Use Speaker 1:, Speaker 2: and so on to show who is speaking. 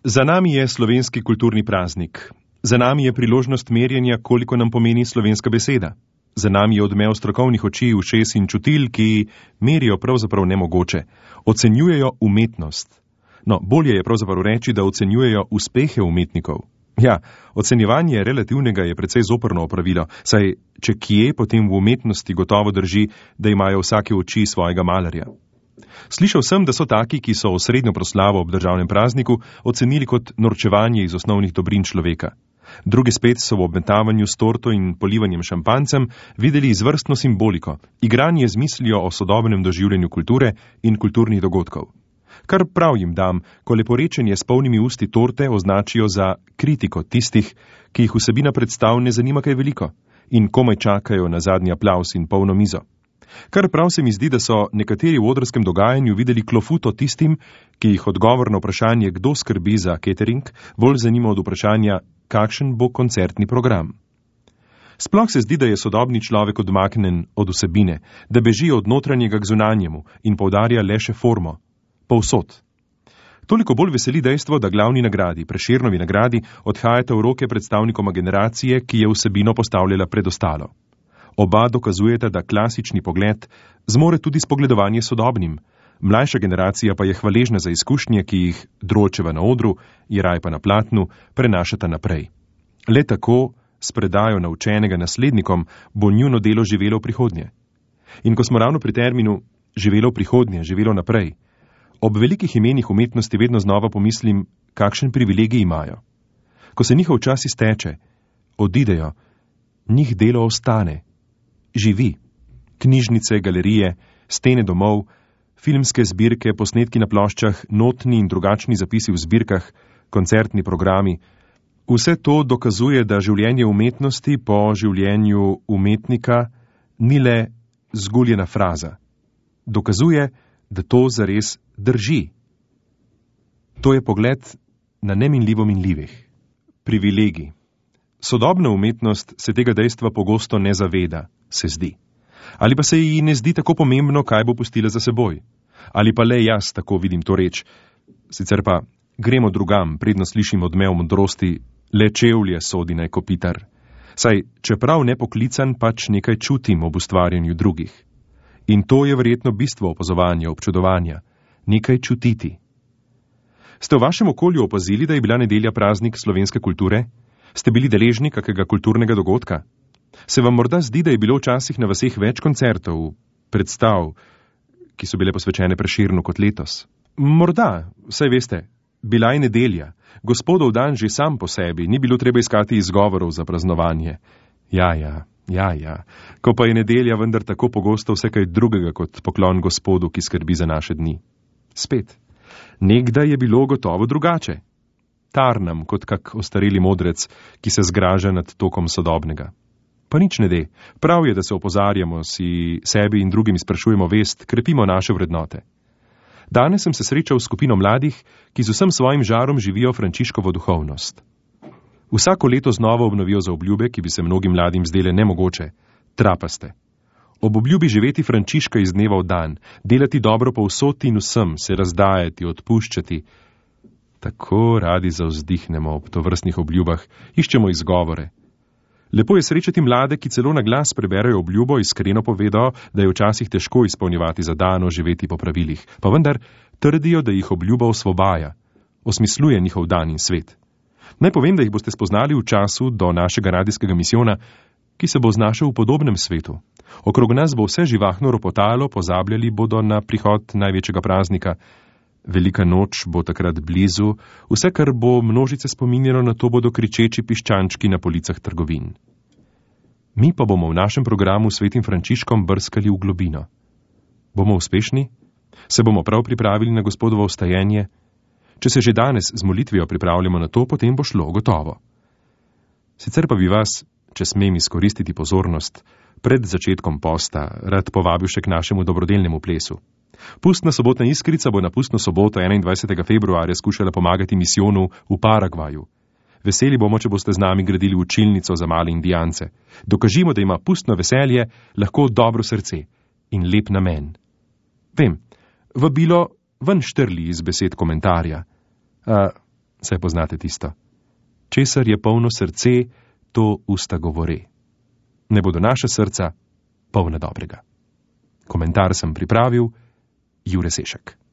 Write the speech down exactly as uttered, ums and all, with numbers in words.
Speaker 1: Za nami je slovenski kulturni praznik. Za nami je priložnost merjenja, koliko nam pomeni slovenska beseda. Za nami je odmev strokovnih oči, ušes in čutil, ki merijo pravzaprav nemogoče. Ocenjujejo umetnost. No, bolje je pravzaprav reči, da ocenjujejo uspehe umetnikov. Ja, ocenjevanje relativnega je precej zoprno opravilo, saj če kje, potem v umetnosti gotovo drži, da imajo vsake oči svojega malarja. Slišal sem, da so taki, ki so osrednjo proslavo ob državnem prazniku ocenili kot norčevanje iz osnovnih dobrin človeka. Drugi spet so v obmetavanju s torto in polivanjem šampancem videli izvrstno simboliko, igranje z mislijo o sodobnem doživljanju kulture in kulturnih dogodkov. Kar prav jim dam, ko leporečenje s polnimi usti torte označijo za kritiko tistih, ki jih vsebina predstav ne zanima kaj veliko in komaj čakajo na zadnji aplavz in polno mizo. Kar prav se mi zdi, da so nekateri v odrskem dogajanju videli klofuto tistim, ki jih odgovor na vprašanje, kdo skrbi za catering, bolj zanima od vprašanja, kakšen bo koncertni program. Sploh se zdi, da je sodobni človek odmaknen od vsebine, da beži od notranjega k zunanjemu in poudarja le še formo. Povsod. Toliko bolj veseli dejstvo, da glavni nagradi, Prešernovi nagradi, odhajata v roke predstavnikoma generacije, ki je vsebino postavljala pred ostalo. Oba dokazujeta, da klasični pogled zmore tudi spogledovanje sodobnim, mlajša generacija pa je hvaležna za izkušnje, ki jih Dročeva na odru, Jeraj pa na platnu, prenašata naprej. Le tako, s predajo naučenega naslednikom, bo njuno delo živelo v prihodnje. In ko smo ravno pri terminu živelo v prihodnje, živelo naprej, ob velikih imenih umetnosti vedno znova pomislim, kakšen privilegij imajo. Ko se njihov čas izteče, odidejo, njih delo ostane. Živi. Knjižnice, galerije, stene domov, filmske zbirke, posnetki na ploščah, notni in drugačni zapisi v zbirkah, koncertni programi. Vse to dokazuje, da življenje umetnosti po življenju umetnika ni le zguljena fraza. Dokazuje, da to zares drži. To je pogled na neminljivo minljivih. Privilegij. Sodobna umetnost se tega dejstva pogosto ne zaveda, se zdi. Ali pa se ji ne zdi tako pomembno, kaj bo pustila za seboj. Ali pa le jaz tako vidim to reč. Sicer pa gremo drugam, predno slišim odmev modrosti, le čevlje sodi naj kopitar. Saj, čeprav nepoklican, pač nekaj čutim ob ustvarjanju drugih. In to je verjetno bistvo opazovanja, občudovanja. Nekaj čutiti. Ste v vašem okolju opazili, da je bila nedelja praznik slovenske kulture? Ste bili deležni kakega kulturnega dogodka? Se vam morda zdi, da je bilo včasih na vaseh več koncertov, predstav, ki so bile posvečene Prešernu kot letos? Morda, saj veste, bila je nedelja, gospodov dan že sam po sebi, ni bilo treba iskati izgovorov za praznovanje. Ja, ja, ja, ja, ko pa je nedelja vendar tako pogosto vse kaj drugega kot poklon gospodu, ki skrbi za naše dni. Spet, nekdaj je bilo gotovo drugače. Tarnam kot kak ostareli modrec, ki se zgraža nad tokom sodobnega. Pa nič ne de, prav je, da se opozarjamo, si sebi in drugim izprašujemo vest, krepimo naše vrednote. Danes sem se srečal s skupino mladih, ki z vsem svojim žarom živijo Frančiškovo duhovnost. Vsako leto znova obnovijo zaobljube, ki bi se mnogim mladim zdele nemogoče, trapaste. Ob obljubi živeti Frančiška iz dneva v dan, delati dobro povsod in vsem, se razdajati, odpuščati. Tako radi zavzdihnemo ob tovrstnih obljubah, iščemo izgovore. Lepo je srečati mlade, ki celo na glas preberajo obljubo, iskreno povedo, da je včasih težko izpolnjevati zadano, živeti po pravilih, pa vendar trdijo, da jih obljuba osvobaja, osmisluje njihov dan in svet. Naj povem, da jih boste spoznali v času do našega radijskega misijona, ki se bo znašel v podobnem svetu. Okrog nas bo vse živahno ropotalo, pozabljali bodo na prihod največjega praznika. Velika noč bo takrat blizu, vse, kar bo množice spominjalo na to, bodo kričeči piščančki na policah trgovin. Mi pa bomo v našem programu Svetim Frančiškom brskali v globino. Bomo uspešni? Se bomo prav pripravili na gospodovo vstajenje? Če se že danes z molitvijo pripravljamo na to, potem bo šlo gotovo. Sicer pa bi vas, če smem izkoristiti pozornost, pred začetkom posta rad povabil še k našemu dobrodelnemu plesu. Pustna sobotna iskrica bo na pustno soboto enaindvajsetega februarja skušala pomagati misijonu v Paragvaju. Veseli bomo, če boste z nami gradili učilnico za male indijance. Dokažimo, da ima pustno veselje lahko dobro srce in lep namen. Vem, vabilo ven štrli iz besed komentarja. A, Saj poznate tisto. Česar je polno srce, to usta govore. Ne bodo naše srca polna dobrega. Komentar sem pripravil Jure Sešek.